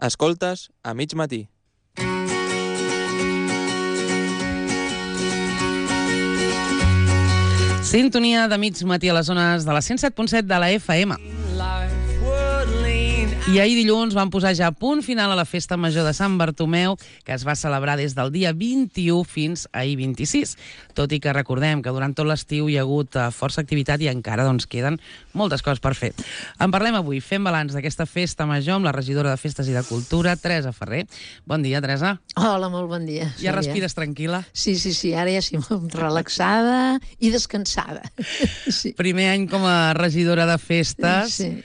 Escoltes a mig matí. Sintonia de mig matí a les zones de la 107.7 de la FM. I ahir dilluns van posar ja punt final a la festa major de Sant Bartomeu, que es va celebrar des del dia 21 fins ahir 26. Tot i que recordem que durant tot l'estiu hi ha hagut força activitat i encara queden moltes coses per fer. En parlem avui, fem balanç d'aquesta festa major amb la regidora de Festes i de Cultura, Teresa Ferrer. Bon dia, Teresa. Hola, molt bon dia. Ja respires tranquil·la? Sí, ara ja sí, relaxada i descansada. Sí. Primer any com a regidora de festes. Sí.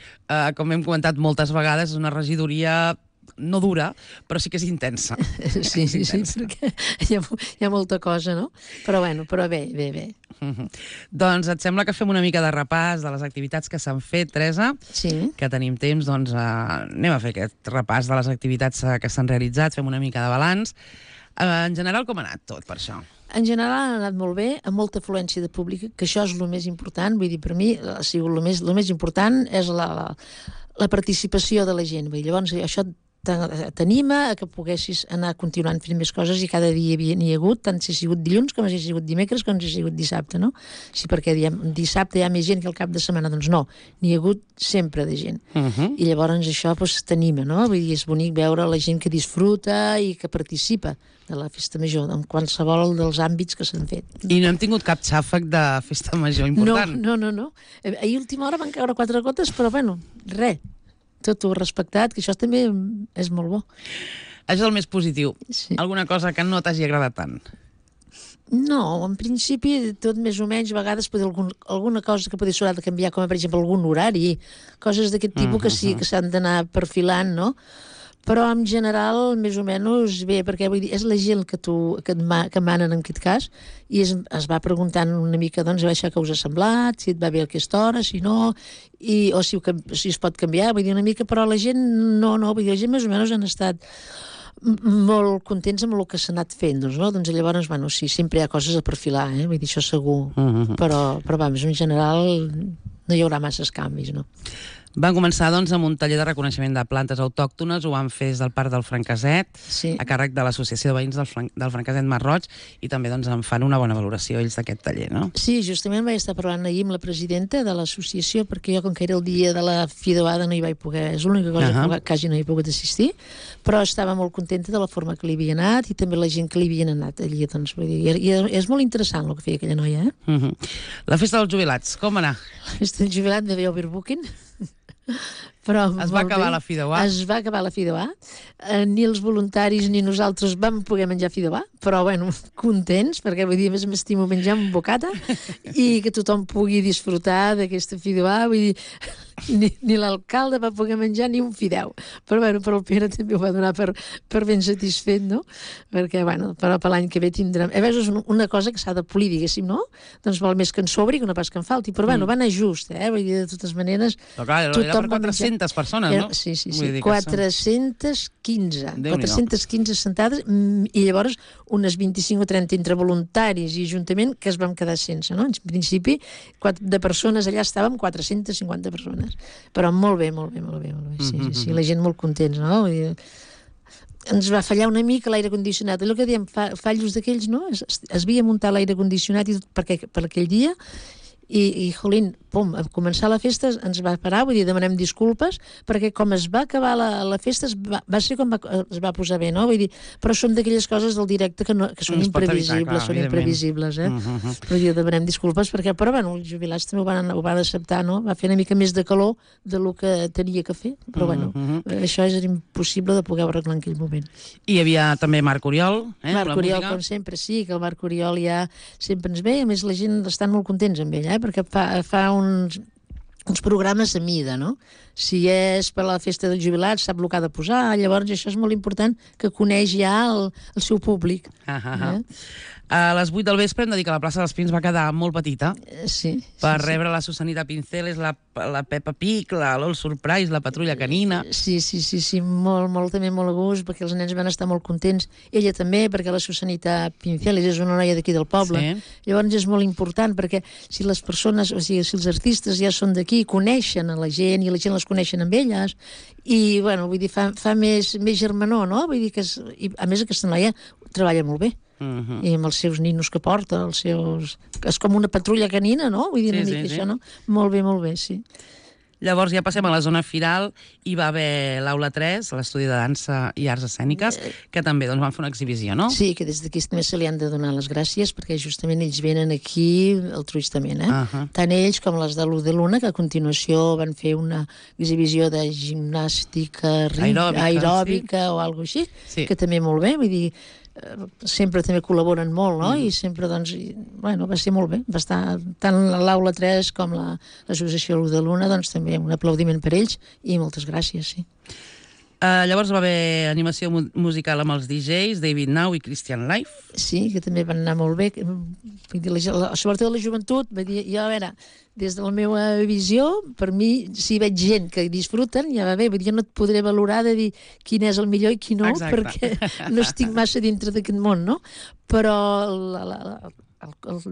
Com hem comentat moltes vegades, és una regidoria no dura, però sí que és intensa. Sí, perquè hi ha molta cosa, no? Però bé. Doncs et sembla que fem una mica de repàs de les activitats que s'han fet, Teresa? Sí. Que tenim temps, anem a fer aquest repàs de les activitats que s'han realitzat, fem una mica de balanç. En general, com ha anat tot per això? En general ha anat molt bé, amb molta afluència de públic, que això és el més important. Vull dir, per mi ha sigut el més important és la participació de la gent. Vull dir, llavors això t'anima a que poguessis anar continuant fent més coses i cada dia n'hi ha hagut, tant si ha sigut dilluns com si ha sigut dimecres com si ha sigut dissabte, no? Sí, perquè dissabte hi ha més gent que el cap de setmana, doncs no, n'hi ha hagut sempre de gent. I llavors això t'anima, no? Vull dir, és bonic veure la gent que disfruta i que participa de la festa major, en qualsevol dels àmbits que s'han fet. I no hem tingut cap xàfec de festa major important? No. Ahir a última hora van caure 4 gotes, però res. Tot ho respectat, que això també és molt bo. Això és el més positiu. Sí. Alguna cosa que no t'hagi agradat tant? No, en principi tot més o menys, a vegades alguna cosa que podria ser de canviar, com per exemple algun horari, coses d'aquest tipus que sí que s'han d'anar perfilant, no? Però en general, més o menys bé, perquè vull dir, és la gent que manen en aquest cas, i es va preguntant una mica, a veure què us ha semblat, si et va bé a aquesta hora, si no, o si es pot canviar, vull dir una mica, però la gent no, vull dir, la gent més o menys han estat molt contents amb el que s'ha anat fent, no? Doncs llavors, sí, sempre hi ha coses a perfilar, vull dir, això segur, però en general no hi haurà masses canvis, no? Van començar, amb un taller de reconeixement de plantes autòctones, ho van fer des del Parc del Franqueset, sí, a càrrec de l'Associació de Veïns del Franqueset Mar-roig, i també en fan una bona valoració ells d'aquest taller, no? Sí, justament vaig estar parlant ahir amb la presidenta de l'associació, perquè jo, com que era el dia de la Fideuada, no hi vaig poder, és l'única cosa que quasi no hi he pogut assistir, però estava molt contenta de la forma que li havia anat i també la gent que li havien anat allí, doncs, vull dir, i és molt interessant el que feia aquella noia, La festa dels jubilats, com anar? La festa dels jubilats va haver overbooking. Però es va acabar la fideuà? Es va acabar la fideuà. Ni els voluntaris ni nosaltres vam poder menjar fideuà, però contents, perquè vull dir, a més m'estimo menjar un bocata i que tothom pugui disfrutar d'aquesta fideuà. Vull dir, ni l'alcalde va poder menjar ni un fideu, però el Pere també ho va donar per ben satisfet, no? Perquè però per l'any que ve tindrem, a vegades és una cosa que s'ha de polir, diguéssim, no? Doncs val més que en sobri que no pas que en falti, però va anar just, vull dir, de totes maneres, però clar, era per 400 persones, no? Sí, 415 sentades, i llavors unes 25 o 30 entre voluntaris i ajuntament que es vam quedar sense, no? En principi, de persones allà estàvem 450 persones, però molt bé. Sí, la gent molt contents, no? Ens va fallar una mica l'aire condicionat, allò que dèiem, fallos d'aquells, no? Es havia muntat l'aire condicionat i tot per aquell dia, i jolín, pum, a començar la festa ens va parar, vull dir, demanem disculpes, perquè com es va acabar la festa va ser com es va posar bé, no? Vull dir, però són d'aquelles coses del directe que són imprevisibles, Però demanem disculpes perquè, els jubilats també ho van acceptar, no? Va fer una mica més de calor del que tenia que fer, però això és impossible de poder arreglar en aquell moment. I hi havia també Marc Oriol, Marc Oriol, com sempre, sí, que el Marc Oriol ja sempre ens ve, a més la gent estan molt contents amb ell, perquè fa uns programes a mida, no? Si és per la festa dels jubilats, sap el que ha de posar, llavors això és molt important que coneix ja el seu públic. A les 8 del vespre hem de dir que la plaça dels Pins va quedar molt petita per rebre la Susanita Pinceles, la Peppa Pig, l'All Surprise, la Patrulla Canina. Sí, també molt a gust, perquè els nens van estar molt contents. Ella també, perquè la Susanita Pinceles és una noia d'aquí del poble. Llavors és molt important, perquè si les persones, o sigui, si els artistes ja són d'aquí, coneixen a la gent i la gent les es coneixen amb elles, i, bueno, vull dir, fa més germanor, no? Vull dir que, i, a més, aquesta noia treballa molt bé. I amb els seus ninos que porta, és com una patrulla canina, no? Vull dir, una mica això, no? Molt bé, sí. Llavors ja passem a la zona firal, hi va haver l'Aula 3, l'Estudi de Dansa i Arts Escèniques, que també van fer una exhibició, no? Sí, que des d'aquí també se li han de donar les gràcies, perquè justament ells venen aquí altruistament, Tant ells com les de l'U de Luna, que a continuació van fer una exhibició de gimnàstica aeròbica o alguna cosa així, que també molt bé, vull dir, sempre també col·laboren molt, no? I sempre, doncs, bueno, va ser molt bé. Va estar tant l'Aula 3 com l'associació L'U de Luna, doncs també un aplaudiment per ells i moltes gràcies, sí. Llavors va haver animació musical amb els DJs, David Now i Christian Life. Sí, que també van anar molt bé. Sobretot la joventut, va dir, jo, a veure, des de la meva visió, per mi, si veig gent que disfruten, ja va bé, vull dir, jo no et podré valorar de dir quin és el millor i quin no, perquè no estic massa dintre d'aquest món, no? Però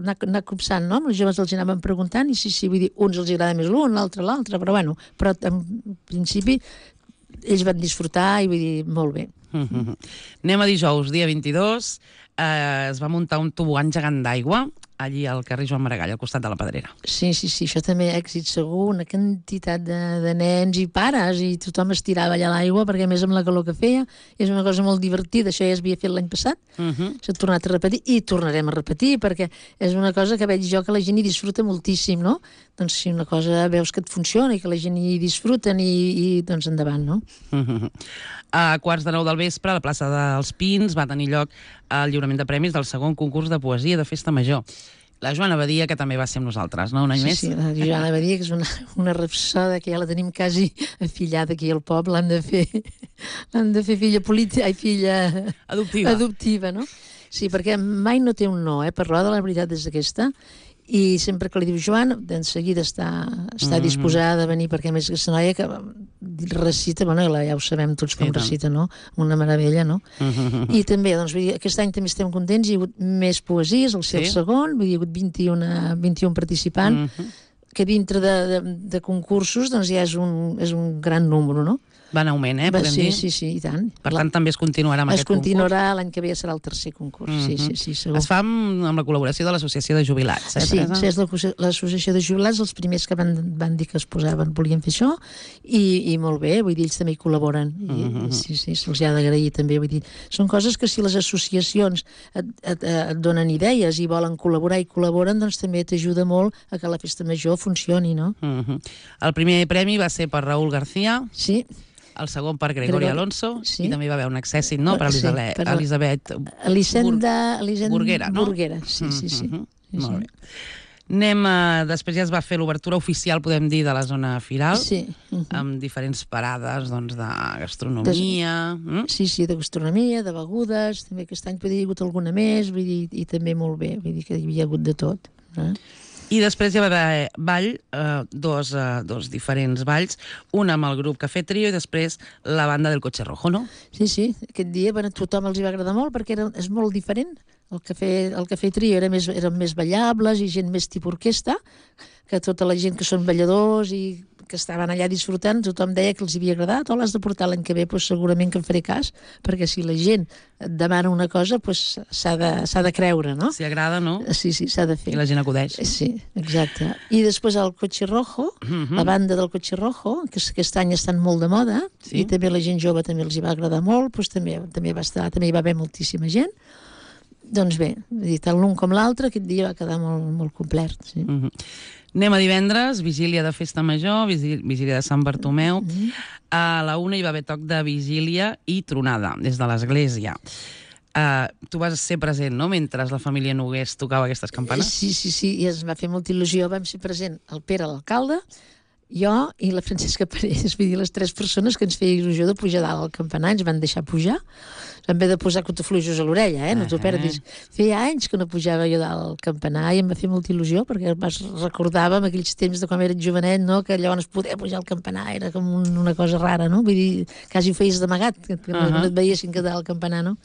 anar copsant, no? Els joves els anaven preguntant i sí, vull dir, uns els agrada més l'un, l'altre, però bueno, però en principi ells van disfrutar i vull dir, molt bé. Anem a dijous, dia 22, es va muntar un tobogan gegant d'aigua allí al carrer Joan Maragall, al costat de la Pedrera. Sí, això també èxit segur, una quantitat de nens i pares, i tothom es tirava allà a l'aigua, perquè a més amb la calor que feia, és una cosa molt divertida, això ja s'havia fet l'any passat, s'ha tornat a repetir, i tornarem a repetir, perquè és una cosa que veig jo que la gent hi disfruta moltíssim, no? Doncs si una cosa veus que et funciona i que la gent hi disfruten, i doncs endavant, no? A 8:45 del vespre, a la plaça dels Pins, va tenir lloc el lliurament de premis del segon concurs de poesia de Festa Major. La Joana Badia, que també va ser amb nosaltres, no? Un any més? Sí, la Joana Badia, que és una rapsoda que ja la tenim quasi afillada aquí al poble, l'han de fer filla adoptiva, no? Sí, perquè mai no té un no, per roda, la veritat és aquesta, i sempre que li diu Joan, de seguida està disposada a venir, perquè a més aquesta noia que recita, bueno, ja ho sabem tots com recita, no? Una meravella, no? I també, doncs, vull dir, aquest any també estem contents, hi ha hagut més poesies, el segon, vull dir, hi ha hagut 21 participants, que dintre de concursos, doncs ja és un gran número, no? Va en augment, podem dir? Sí, i tant. Per tant, també es continuarà amb aquest concurs? Es continuarà, l'any que ve serà el tercer concurs, sí, segur. Es fa amb la col·laboració de l'Associació de Jubilats, Sí, és l'Associació de Jubilats, els primers que van dir que es volien fer això, i molt bé, vull dir, ells també hi col·laboren. Sí, se'ls ha d'agrair també, vull dir, són coses que si les associacions et donen idees i volen col·laborar i col·laboren, doncs també t'ajuda molt a que la festa major funcioni, no? El primer premi va ser per Raúl García. Sí. El segon per Gregorio Alonso, i també va haver un accèssit, no?, per Elisabet Burguera, no? Burguera, sí. Molt bé. Després ja es va fer l'obertura oficial, podem dir, de la zona firal, amb diferents parades, doncs, de gastronomia. Sí, de gastronomia, de begudes, també aquest any hi ha hagut alguna més, vull dir, i també molt bé, vull dir que hi havia hagut de tot. I després hi va haver ball, dos diferents balls, un amb el grup Café Trio i després la banda del Coche Rojo, no? Sí, aquest dia a tothom els hi va agradar molt perquè és molt diferent. El Café Trio eren més ballables i gent més tipus orquestra, que tota la gent que són balladors i que estaven allà disfrutant, tothom deia que els havia agradat, o l'has de portar l'any que ve, doncs segurament que en faré cas, perquè si la gent et demana una cosa, doncs s'ha de creure, no? Si agrada, no? Sí, s'ha de fer. I la gent acudeix. Sí, exacte. I després el Coche Rojo, la banda del Coche Rojo, que aquest any estan molt de moda, i també la gent jove també els hi va agradar molt, doncs també hi va haver moltíssima gent. Doncs bé, tant l'un com l'altre, aquest dia va quedar molt complet. Anem a divendres, vigília de Festa Major, vigília de Sant Bartomeu. A la 1 hi va haver toc de vigília i tronada, des de l'església. Tu vas ser present, no?, mentre la família Nogués tocava aquestes campanes? Sí, i es va fer molta il·lusió. Vam ser present el Pere, l'alcalde, jo i la Francesca Parés, vull dir, les 3 persones que ens feia il·lusió de pujar dalt al campanar, ens van deixar pujar, en vez de posar cotofluixos a l'orella, no t'ho perdis. Feia anys que no pujava jo dalt al campanar i em va fer molta il·lusió, perquè recordàvem aquells temps de quan era jovenet, no?, que llavors poder pujar al campanar era com una cosa rara, no? Vull dir, quasi ho feies d'amagat, que no et veiessin que dalt al campanar, no?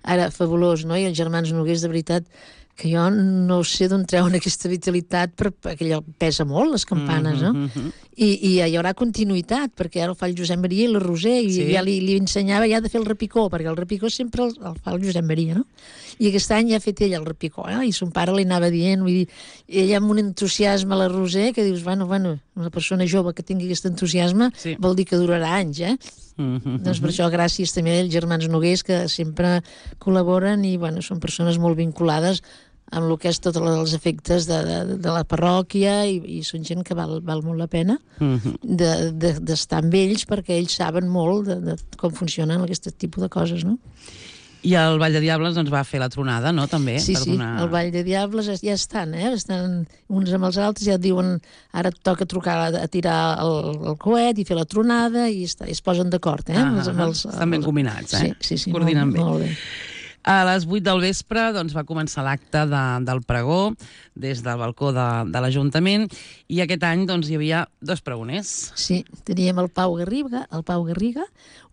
Ara, fabulós, no? I els germans Nogués, de veritat, que jo no sé d'on treuen aquesta vitalitat, perquè allò pesa molt, les campanes, no? I hi haurà continuïtat, perquè ara ho fa el Josep Maria i la Roser, i ja li ensenyava ja de fer el repicó, perquè el repicó sempre el fa el Josep Maria, no? I aquest any ja ha fet ell el repicó, i son pare li anava dient, vull dir, ella amb un entusiasme a la Roser, que dius, bueno, una persona jove que tingui aquest entusiasme vol dir que durarà anys, Doncs per això gràcies també als germans Nogués, que sempre col·laboren i, bueno, són persones molt vinculades amb el que és tots els efectes de la parròquia i són gent que val molt la pena d'estar amb ells, perquè ells saben molt de com funcionen aquest tipus de coses, no? I el Ball de Diables doncs, va fer la tronada, no?, també. Sí, el Ball de Diables ja estan, estan uns amb els altres, ja et diuen ara et toca trucar a tirar el coet i fer la tronada i es posen d'acord, Estan ben combinats, Sí, coordinen bé. Molt bé. A les 8 del vespre doncs, va començar l'acte del pregó des del balcó de l'Ajuntament i aquest any doncs, hi havia 2 pregoners. Sí, teníem el Pau Garriga,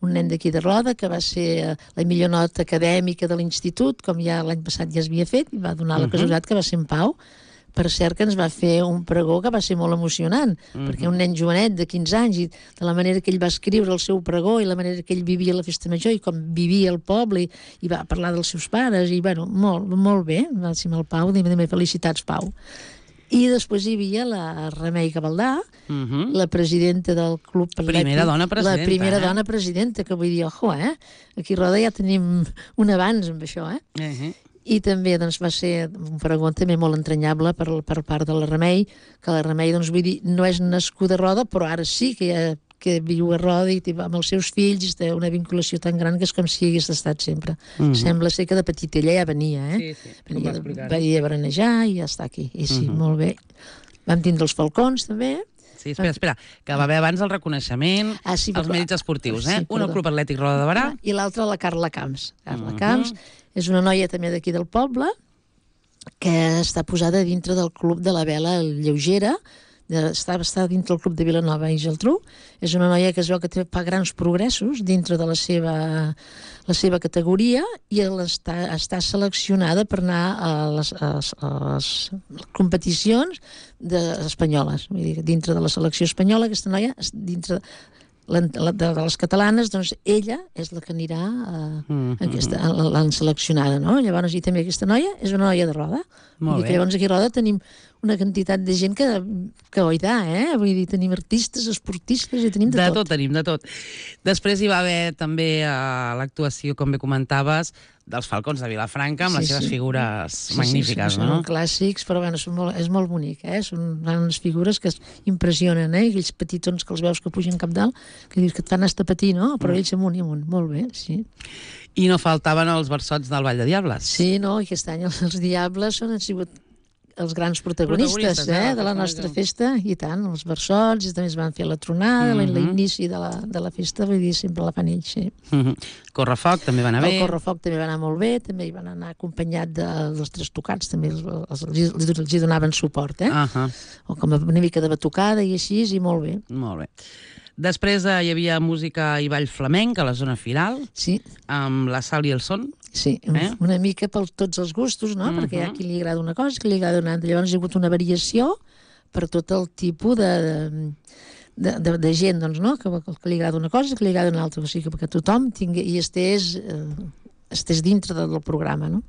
un nen d'aquí de Roda que va ser la millor nota acadèmica de l'institut, com ja l'any passat ja es havia fet, i va donar la casualitat que va ser en Pau. Per cert que ens va fer un pregó que va ser molt emocionant, perquè un nen jovenet de 15 anys i de la manera que ell va escriure el seu pregó i la manera que ell vivia la festa major i com vivia el poble i va parlar dels seus pares i, bueno, molt bé, va ser amb el Pau, dime felicitats, Pau. I després hi havia la Remei Gavaldà, la presidenta del Club Atlètic. Primera dona presidenta. La primera dona presidenta, que vull dir, ojo, aquí a Roda ja tenim un abans amb això, I també doncs, va ser un pregó també molt entranyable per part de la Remei, que la Remei, doncs, vull dir, no és nascuda a Roda, però ara sí que viu a Roda i amb els seus fills té una vinculació tan gran que és com si hagués estat sempre. Sembla ser que de petita ella ja venia, venia a berenejar i ja està aquí. I sí, molt bé. Vam tindre els falcons, també, Sí, espera, que va haver abans el reconeixement als mèrits esportius, Un al Club Atlètic Roda de Barà. I l'altre la Carla Camps. Carla Camps és una noia també d'aquí del poble que està posada dintre del Club de la Vela Lleugera, està dintre del Club de Vilanova i Geltrú. És una noia que es veu que fa grans progressos dintre de la seva categoria i està seleccionada per anar a les competicions espanyoles. Vull dir, dintre de la selecció espanyola, aquesta noia, dintre de les catalanes, doncs ella és la que anirà l'han seleccionada, no? Llavors, i també aquesta noia és una noia de Roda. Vull dir que llavors aquí a Roda tenim una quantitat de gent que oidà, Vull dir, tenim artistes, esportistes i tenim de tot. Tenim de tot. Després hi va haver també l'actuació, com bé comentaves, dels Falcons de Vilafranca, amb les seves figures magnífiques, no? Són clàssics, però bueno, és molt bonic, Són unes figures que impressionen, I aquells petitons que els veus que pugen cap dalt, que dius que et fan estar patir, no? Però ells amunt i amunt, molt bé, sí. I no faltaven els versots del Ball de Diables. Sí, no, i aquest any els Diables han sigut els grans protagonistes de la nostra festa, i tant, els versots, i també es van fer la tronada, l'inici de la festa, vull dir, sempre la fan ells, sí. Correfoc també va anar bé. El Correfoc també va anar molt bé, també hi van anar acompanyat dels tres tocats, també els hi donaven suport, o com una mica de batucada i així, i molt bé. Molt bé. Després hi havia música i ball flamenc a la zona firal, amb la Sal i el Son. Sí, una mica per tots els gustos, no? Perquè hi ha qui li agrada una cosa, qui li agrada una altra. Llavors hi ha hagut una variació per tot el tipus de gent, doncs, no? Que li agrada una cosa, que li agrada una altra. O sigui, que tothom tingui i estés dintre del programa, no?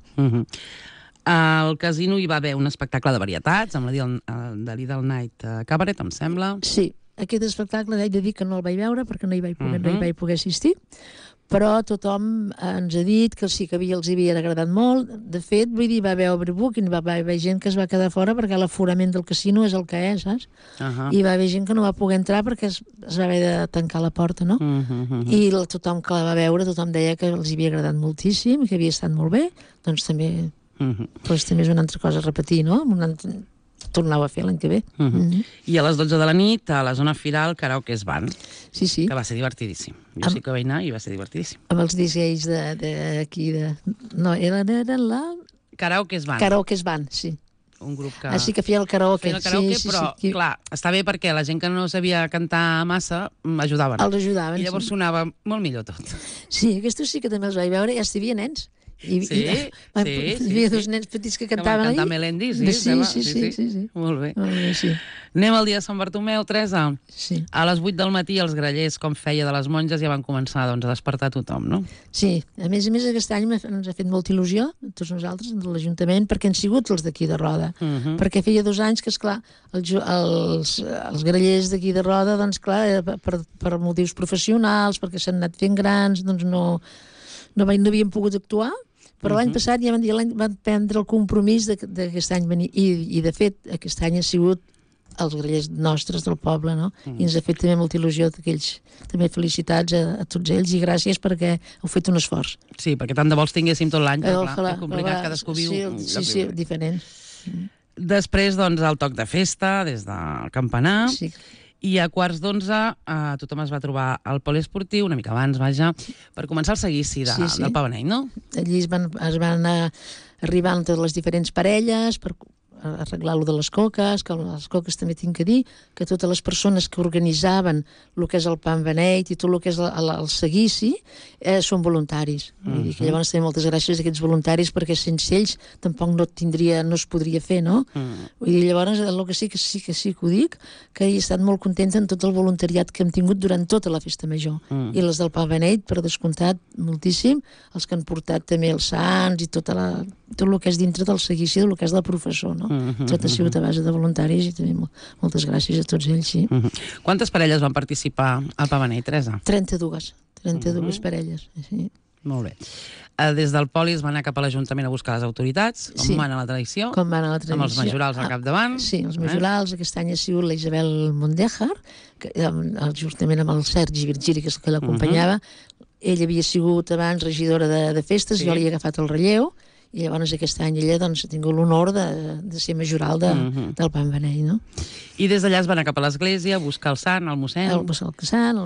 Al casino hi va haver un espectacle de varietats, amb la Lidl Night Cabaret, em sembla. Sí, aquest espectacle he de dir que no el vaig veure perquè no hi vaig poder assistir, però tothom ens ha dit que sí que els havia agradat molt. De fet, vull dir, va haver overbooking, va haver gent que es va quedar fora perquè l'aforament del casino és el que és, saps? I va haver gent que no va poder entrar perquè es va haver de tancar la porta, no? I tothom que la va veure, tothom deia que els havia agradat moltíssim, que havia estat molt bé, doncs també és una altra cosa a repetir, no? Tornau a fer l'any que ve. I a les 12 de la nit, a la zona firal, Karaoke es Van. Sí. Que va ser divertidíssim. Jo sí que vaig anar i va ser divertidíssim. Amb els DJs d'aquí No, eren la... Karaoke es Van. Karaoke es Van, sí. Un grup que... sí que feia el karaoke. Feia el karaoke, però, clar, està bé perquè la gent que no sabia cantar massa ajudaven. Els ajudaven, I llavors sonava molt millor tot. Sí, aquests sí que també els vaig veure, ja hi havia nens. hi sí. havia dos nens petits que cantaven cantar allí. Melendi, Sí. Molt bé. Molt bé, sí. Anem al dia de Sant Bartomeu, Teresa. Sí. A les 8 del matí els grallers, com feia de les monges, ja van començar doncs, a despertar tothom, no? Sí, a més, aquest any ens ha fet molta il·lusió, a tots nosaltres, de l'Ajuntament, perquè han sigut els d'aquí de Roda. Perquè feia 2 anys que, esclar, els grallers d'aquí de Roda, doncs, clar, per motius professionals, perquè s'han anat fent grans, doncs no havien pogut actuar, però l'any passat ja van prendre el compromís d'aquest any venir, i de fet aquest any ha sigut els grallers nostres del poble, no? I ens ha fet també molta il·lusió d'aquells. També felicitats a tots ells i gràcies perquè heu fet un esforç. Sí, perquè tant de vols tinguéssim tot l'any, però clar, és complicat, cadascú viu... Sí, diferent. Després, doncs, el toc de festa, des del campanar, Sí. i a 11:15 tothom es va trobar al poliesportiu, una mica abans, vaja, per començar el seguici del Pavanell, no? Allí es van anar arribant totes les diferents parelles per arreglar-lo de les coques, que les coques també tinc que dir que totes les persones que organitzaven el que és el Pan Beneit i tot el que és el seguici són voluntaris. Vull dir que llavors també moltes gràcies a aquests voluntaris perquè sense ells tampoc no es podria fer, no? Vull dir, llavors el que sí que ho dic, que he estat molt contenta en tot el voluntariat que hem tingut durant tota la festa major. I les del Pan Beneit, per descomptat, moltíssim, els que han portat també els sants i tot el que és dintre del seguici del que és el professor, no? Tot ha sigut a base de voluntaris i també moltes gràcies a tots ells, sí. Quantes parelles van participar al Pavanell, Teresa? 32 parelles, sí. Molt bé. Des del poli es va anar cap a l'Ajuntament a buscar les autoritats, com va anar la tradició? Com va anar la tradició. Amb els majorals al capdavant. Sí, els majorals. Aquest any ha sigut la Isabel Mondejar, justament amb el Sergi Virgili, que és el que l'acompanyava. Ella havia sigut abans regidora de festes, jo li he agafat el relleu, i llavors aquest any ella ha tingut l'honor de ser majoral del Pan Beneit, no? I des d'allà es va anar cap a l'església a buscar el sant, el mossèn. El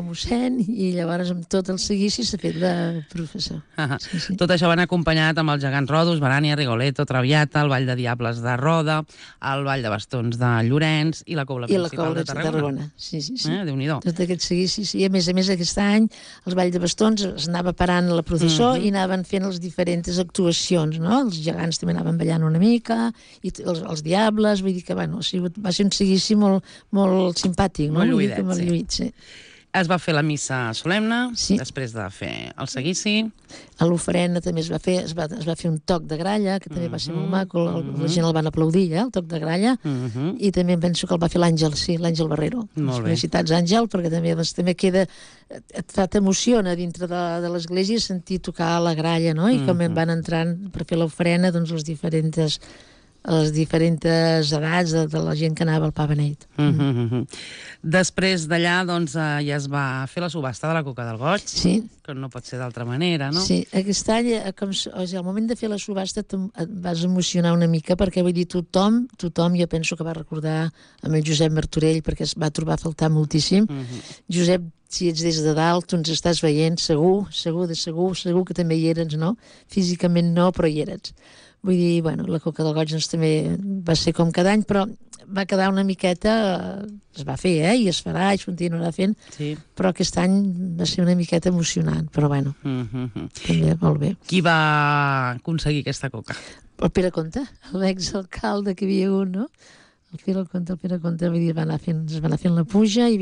mossèn, i llavors amb tot el seguici s'ha fet de professor. Sí. Tot això va anar acompanyat amb els gegants Rodos, Barània, Rigoletto, Traviata, el Ball de Diables de Roda, el Ball de Bastons de Llorenç i la Cobla Principal de Tarragona. Sí. Déu-n'hi-do. Tot aquest seguici, sí. A més aquest any els Ball de Bastons es anava parant la processó i anaven fent les diferents actuacions, no? Els gegants també anaven ballant una mica, i els diables, vull dir que, bueno, va ser un seguici molt simpàtic, no? Molt lluïdet, molt lluït, sí. Es va fer la missa solemne, després de fer el seguici. A l'ofrena també es va fer un toc de gralla, que també va ser molt maco, la gent el van aplaudir, el toc de gralla, i també penso que el va fer l'Àngel, l'Àngel Barrero. Felicitats, Àngel, perquè també queda, t'emociona dintre de l'església sentir tocar la gralla, no? I com van entrant per fer l'ofrena, doncs les diferents edats de la gent que anava al Pa Beneit. Després d'allà, doncs, ja es va fer la subhasta de la Coca del Goig, que no pot ser d'altra manera, no? Sí, aquest any, al moment de fer la subhasta et vas emocionar una mica, perquè vull dir, tothom jo penso que va recordar amb el Josep Martorell, perquè es va trobar a faltar moltíssim. Josep, si ets des de dalt, tu ens estàs veient, segur que també hi eres, no? Físicament no, però hi eres. Vull dir, bueno, la Coca del Goig també va ser com cada any, però va quedar una miqueta, es va fer, i es farà, i es continuarà fent, però aquest any va ser una miqueta emocionant, però bueno, també molt bé. Qui va aconseguir aquesta Coca? El Pere Comte, l'exalcalde que hi havia un, no? El Pere Comte, vull dir, es va anar fent la puja i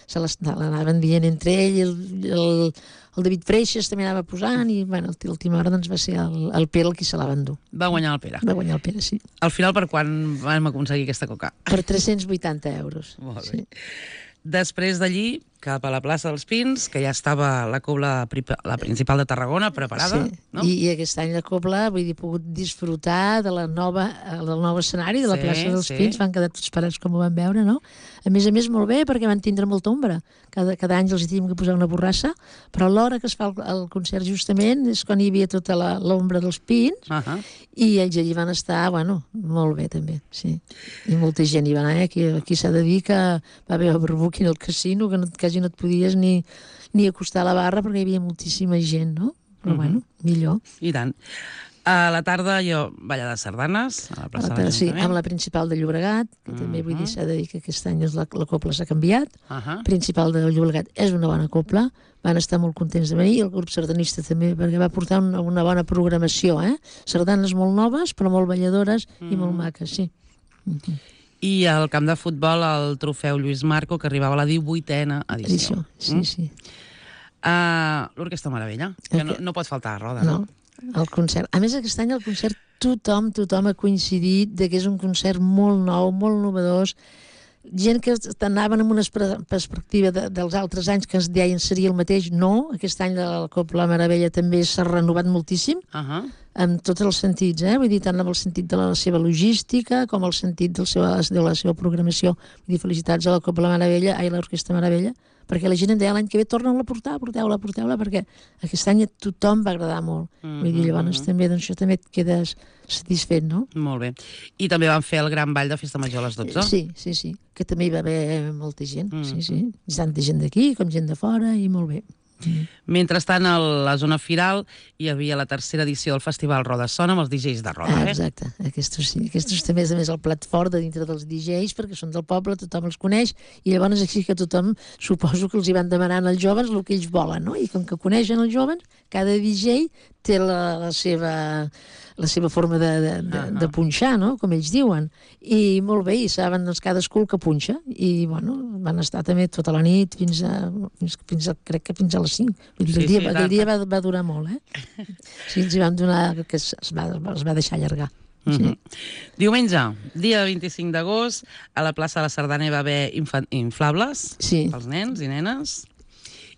se l'anaven dient entre ell, el David Freixas també anava posant i, bueno, a l'última hora doncs va ser el Pere el qui se la va endur. Va guanyar el Pere. Va guanyar el Pere, sí. Al final, per quan vam aconseguir aquesta Coca? Per 380 euros. Molt bé. Després d'allí, cap a la plaça dels Pins, que ja estava la Cobla Principal de Tarragona preparada, no? I aquest any la Cobla, vull dir, he pogut disfrutar del nou escenari de la plaça dels Pins, van quedar tots parats com ho van veure, no? A més, molt bé, perquè van tindre molta ombra. Cada any els hi teníem que posar una borrassa, però a l'hora que es fa el concert justament és quan hi havia tota l'ombra dels pins, i ells allí van estar, bueno, molt bé també, sí. I molta gent hi va anar, aquí s'ha de dir que va haver overbooking al casino, que quasi no et podies ni acostar a la barra perquè hi havia moltíssima gent, no? però bueno, millor. I tant. A la tarda jo ballada de sardanes a la plaça de Sí, l'Ajuntament. amb la principal de Llobregat, que també vull dir, s'ha de dir que aquest any la copla s'ha canviat. Principal de Llobregat és una bona copla, van estar molt contents de venir, i el grup sardanista també, perquè va portar una bona programació, sardanes molt noves, però molt balladores i molt maques, sí. I al camp de futbol el trofeu Lluís Marco, que arribava a la 18a edició. Sí. L'Orquestra Meravella, que no pot faltar a Roda, no? El concert. A més, aquest any el concert tothom ha coincidit de que és un concert molt nou, molt novedós, gent que anaven amb una perspectiva dels altres anys que ens deien seria el mateix. No, aquest any la Copla Meravella també s'ha renovat moltíssim, en tots els sentits, vull dir, tant amb el sentit de la seva logística com el sentit de la seva programació. Vull dir, felicitats a la Copla Meravella, a l'Orquestra Meravella, perquè la gent em deia l'any que ve torna-la a portar, porteu-la, perquè aquest any a tothom va agradar molt. Vull dir, llavors també, doncs això també et quedes satisfet, no? Molt bé. I també van fer el gran ball de Festa Major a les 12? Sí, que també hi va haver molta gent, sí. Tanta gent d'aquí com gent de fora, i molt bé. Mentrestant, a la zona firal hi havia la tercera edició del Festival Roda Sona amb els DJs de Roda. Exacte, aquests també és a més el plat fort de dintre dels DJs, perquè són del poble, tothom els coneix, i llavors així que tothom, suposo que els hi van demanant als joves el que ells volen, no? I com que coneixen els joves, cada DJ té la seva forma de punxar, no? Com ells diuen. I molt bé, i saben doncs, cadascú el que punxa. I bueno, van estar també tota la nit fins a crec que fins a les 5. Aquell dia va durar molt, Sí, ens hi van donar que es va deixar allargar. Sí. Diumenge, dia 25 d'agost, a la plaça de la Sardana hi va haver inflables pels nens i nenes.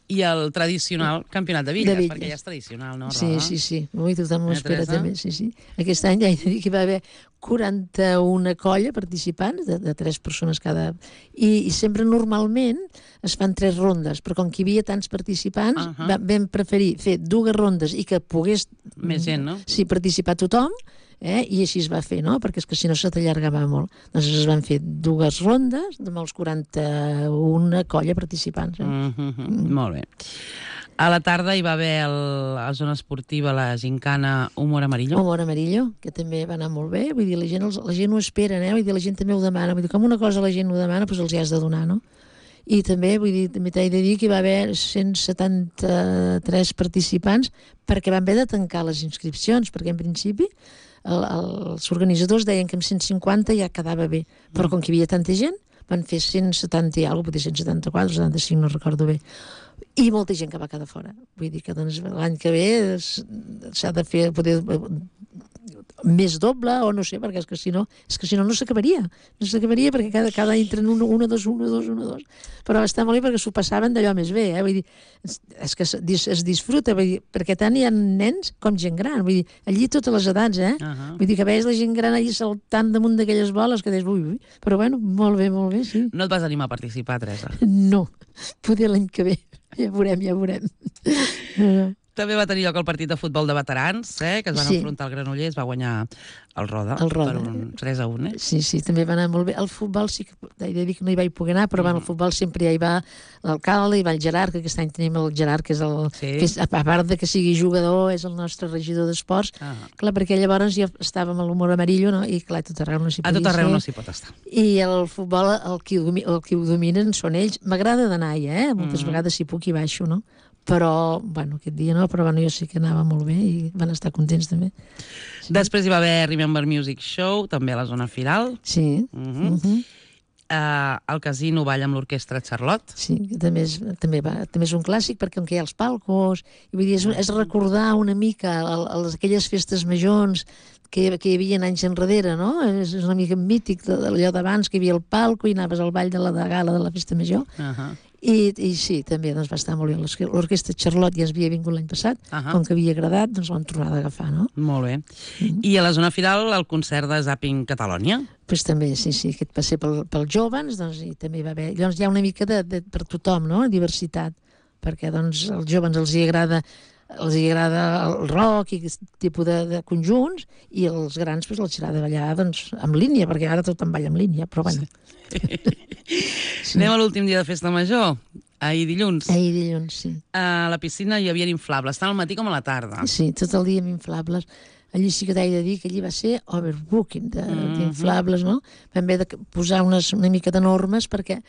I el tradicional campionat de bitlles, perquè ja és tradicional, no, Roda? Sí. Avui tothom ho espera també, sí. Aquest any ja he de dir que hi va haver 41 colla participants, de 3 persones cada... I sempre normalment es fan 3 rondes, però com que hi havia tants participants, vam preferir fer 2 rondes i que pogués... Més gent, no? Sí, participar tothom, i així es va fer, no? Perquè és que si no se t'allargava molt. Doncs es van fer 2 rondes amb els 41 colla participants. Molt bé. A la tarda hi va haver a la zona esportiva la gincana Humor Amarillo. Humor Amarillo, que també va anar molt bé. Vull dir, la gent ho espera, vull dir, la gent també ho demana. Vull dir, com una cosa la gent ho demana, doncs els hi has de donar, no? I també, vull dir, també t'he de dir que hi va haver 173 participants perquè van haver de tancar les inscripcions, perquè en principi els organitzadors deien que amb 150 ja quedava bé, però com que hi havia tanta gent, van fer 170 i alguna cosa, potser 174, 75, no recordo bé. I molta gent que va quedar fora. Vull dir que doncs, l'any que ve s'ha de fer poder més doble, o no sé, perquè és que si no no s'acabaria. No s'acabaria perquè cada any entren un, dos. Però està molt bé perquè s'ho passaven d'allò més bé, Vull dir, és que es disfruta, vull dir, perquè tant hi ha nens com gent gran. Vull dir, allí totes les edats, Vull dir que veus la gent gran allí saltant damunt d'aquelles boles que deies, ui. Però bueno, molt bé, sí. No et vas animar a participar, Teresa? No, poder l'any que ve. Ja veurem. També va tenir lloc el partit de futbol de veterans, que es van enfrontar al Granollers, va guanyar el Roda per un 3-1. Sí, també va anar molt bé. El futbol sí que he de dir que no hi vaig poder anar, però el futbol sempre hi va l'alcalde, hi va el Gerard, que aquest any tenim el Gerard, que és que és, a part de que sigui jugador, és el nostre regidor d'esports. Clar, perquè llavors ja estàvem a l'Humor Amarillo, no? I clar, a tot arreu no s'hi podia ser. A tot arreu no s'hi pot estar. I el futbol, el qui ho dominen són ells. M'agrada d'anar-hi, moltes vegades si puc hi baixo, no? Però, bueno, aquest dia no, però bueno, jo sí que anava molt bé i van estar contents també. Després hi va haver Remember Music Show, també a la zona firal. Sí. Al casino balla amb l'orquestra Charlotte. Sí, que també és un clàssic, perquè on hi ha els palcos, i vull dir, és recordar una mica aquelles festes majors que hi havia anys enrere, no? És una mica mític d'allò d'abans, que hi havia el palco i anaves al ball de la gala de la festa major. I sí, també doncs, va estar molt bé. L'orquestra Charlotte ja es havia vingut l'any passat, com que havia agradat, doncs l'han tornat a agafar, no? Molt bé. I a la zona final, el concert de Zapping Catalònia? Doncs també, sí, aquest va ser pels joves, doncs, i també hi va haver... Llavors hi ha una mica per tothom, no?, diversitat, perquè doncs, als joves els hi agrada el rock i aquest tipus de conjunts, i els grans doncs, els agrada ballar doncs, en línia, perquè ara tothom balla en línia, però bueno... Anem a l'últim dia de Festa Major. Ahir dilluns. Ahir dilluns, sí. A la piscina hi havia inflables, tant al matí com a la tarda. Sí, tot el dia amb inflables. Allí sí que t'he de dir que allí va ser overbooking d'inflables, no? Vam haver de posar una mica de normes perquè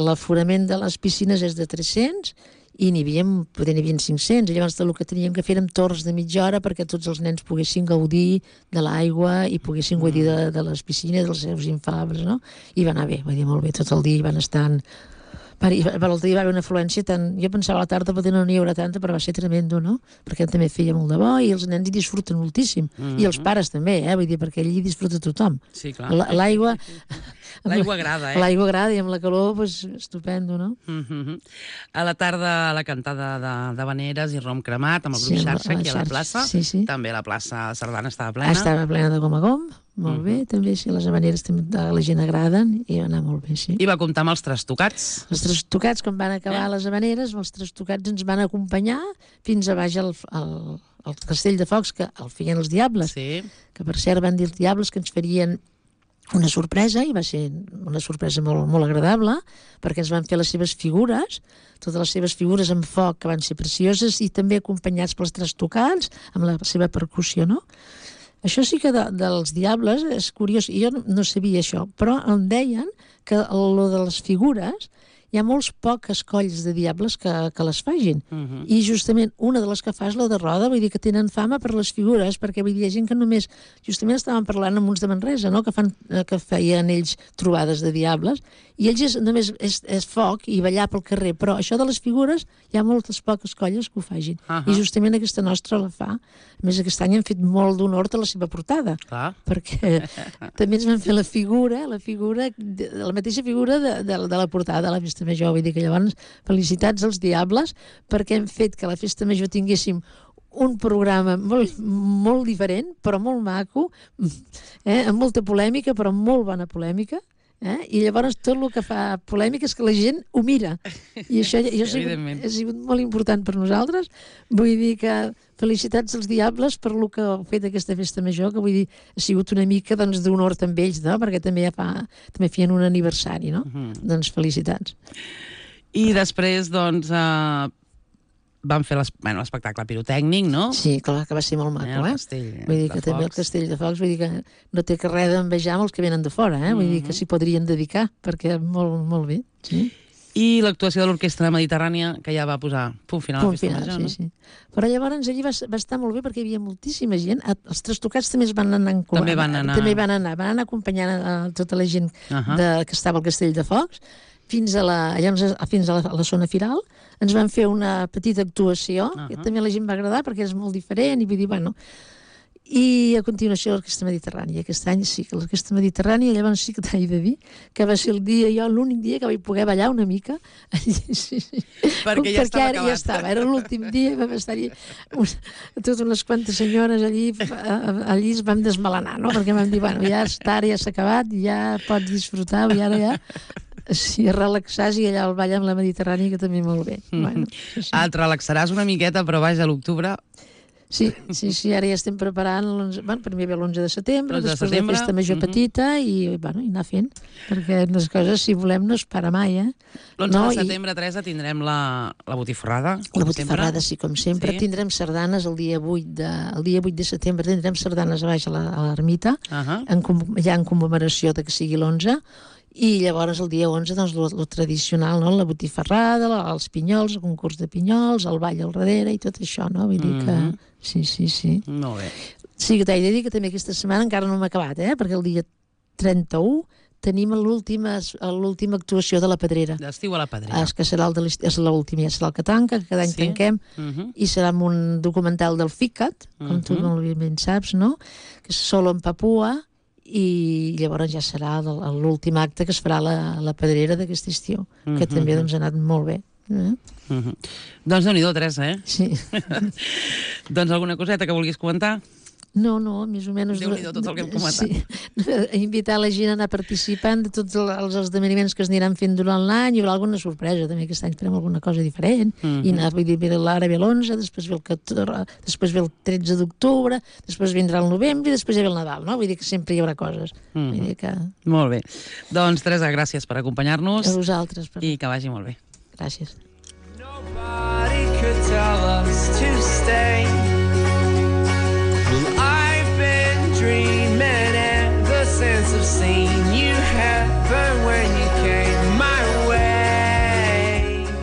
l'aforament de les piscines és de 300 i n'hi havia 500, i llavors el que teníem que fer eren torns de mitja hora perquè tots els nens poguessin gaudir de l'aigua i poguessin gaudir de les piscines, dels seus inflables, no? I va anar bé, va dir molt bé, tot el dia hi van estar... L'altre dia va haver una afluència tant... Jo pensava a la tarda potser no n'hi haurà tanta, però va ser tremendo, no? Perquè també feia molt de bo i els nens hi disfruten moltíssim. I els pares també, vull dir, perquè allí disfruta tothom. Sí, clar. L'aigua... L'aigua agrada, L'aigua agrada i amb la calor, doncs, estupendo, no? A la tarda, la cantada de Vaneres i rom cremat amb el grup Xarxa aquí a la plaça. Sí, sí. També la plaça Sardana estava plena. Estava plena de gom a gom, molt bé, també, sí, les havaneres també a la gent agraden i va anar molt bé, sí. I va comptar amb els trastocats. Els trastocats, quan van acabar les havaneres, els trastocats ens van acompanyar fins a baix al Castell de Focs, que el feien els Diables, Sí. que per cert van dir els Diables que ens farien una sorpresa, i va ser una sorpresa molt, molt agradable, perquè ens van fer les seves figures, totes les seves figures en foc, que van ser precioses, i també acompanyats pels trastocats, amb la seva percussió, no? Això sí que dels Diables és curiós, jo no sabia això, però em deien que lo de les figures hi ha molts poques colls de Diables que les fagin. I justament una de les que fa és la de Roda, vull dir que tenen fama per les figures, perquè vull dir, hi ha gent que només... Justament estàvem parlant amb uns de Manresa, no?, que feien ells trobades de Diables, i ells només és foc i ballar pel carrer, però això de les figures hi ha moltes poques colles que ho fagin. I justament aquesta nostra la fa. A més, aquest any han fet molt d'honor a la seva portada. Clar. Perquè també ens van fer la mateixa figura de la portada de la Festa Major. Vull dir que llavors felicitats als Diables perquè hem fet que a la Festa Major tinguéssim un programa molt, molt diferent, però molt maco, amb molta polèmica, però molt bona polèmica. I llavors tot el que fa polèmica és que la gent ho mira. I això ha sigut molt important per nosaltres. Vull dir que felicitats als Diables per el que heu fet aquesta Festa Major, que vull dir, ha sigut una mica d'honor també ells, no? Perquè també feien un aniversari, no? Doncs felicitats. I després, doncs, van fer l'espectacle pirotècnic, no? Sí, clar, que va ser molt maco, El castell vull dir que de també el Focs. Castell de Focs, vull dir que no té que res d'envejar amb els que venen de fora, vull dir que s'hi podrien dedicar, perquè molt, molt bé, sí. I l'actuació de l'Orquestra Mediterrània, que ja va posar punt final a la Festa Major, no? Sí. Però llavors allí va estar molt bé perquè hi havia moltíssima gent. Els trastocats també es van anar van anar acompanyant tota la gent que estava al Castell de Focs fins a la zona firal. Ens van fer una petita actuació, que també a la gent va agradar perquè és molt diferent, i vull dir, bueno... I a continuació l'Orquestra Mediterrània. Aquest any sí que l'Orquestra Mediterrània, llavors sí que t'he de dir que va ser l'únic dia que vaig poder ballar una mica. Sí. Perquè ja estava acabat. Ja estava, era l'últim dia, vam estar-hi totes unes quantes senyores allí es vam desmelenar, no? Perquè vam dir, bueno, ja està, ja s'ha acabat, ja pots disfrutar, i ara ja... Sí, relaxar i allà al ball amb la Mediterrània, que també molt bé. Bueno, sí. Et relaxaràs una miqueta, però vaja, a l'octubre... Sí, ara ja estem preparant, primer ve l'11 de setembre, després la Festa Major petita i anar fent, perquè les coses, si volem, no es para mai, L'11 de setembre, Teresa, tindrem la botifarrada. La botifarrada, sí, com sempre. Tindrem sardanes el dia 8 de setembre, tindrem sardanes a baix a l'ermita, ja en commemoració de que sigui l'11, i llavors el dia 11, doncs, lo tradicional, no? La botifarrada, els pinyols, el concurs de pinyols, el ball al darrere i tot això, no? Vull dir que... Sí. Molt bé. Sí, que t'he de dir que també aquesta setmana encara no hem acabat, perquè el dia 31 tenim l'última actuació de la Pedrera. D'estiu a la Pedrera. Que serà l'última, ja serà el que tanca, que cada any tanquem, i serà amb un documental del FICAT, com tu molt ben saps, no? Que és Solo en Papua, i llavors ja serà l'últim acte que es farà a la Pedrera d'aquest estiu, que també ha anat molt bé. Doncs Déu-n'hi-do, Teresa, Sí. Doncs alguna coseta que vulguis comentar? No, més o menys... Déu-n'hi-do tot el que hem comentat. Sí. Invitar la gent a anar participant de tots els esdeveniments que es aniran fent durant l'any, hi haurà alguna sorpresa, també aquest any farem alguna cosa diferent, i ara ve l'11, després ve el 13 d'octubre, després vindrà el novembre i després ja ve el Nadal, no? Vull dir que sempre hi haurà coses. Molt bé. Doncs, Teresa, gràcies per acompanyar-nos. A vosaltres. I que vagi molt bé. Gràcies. Nobody could tell us to stay. Well, I've been dreaming ever since I've seen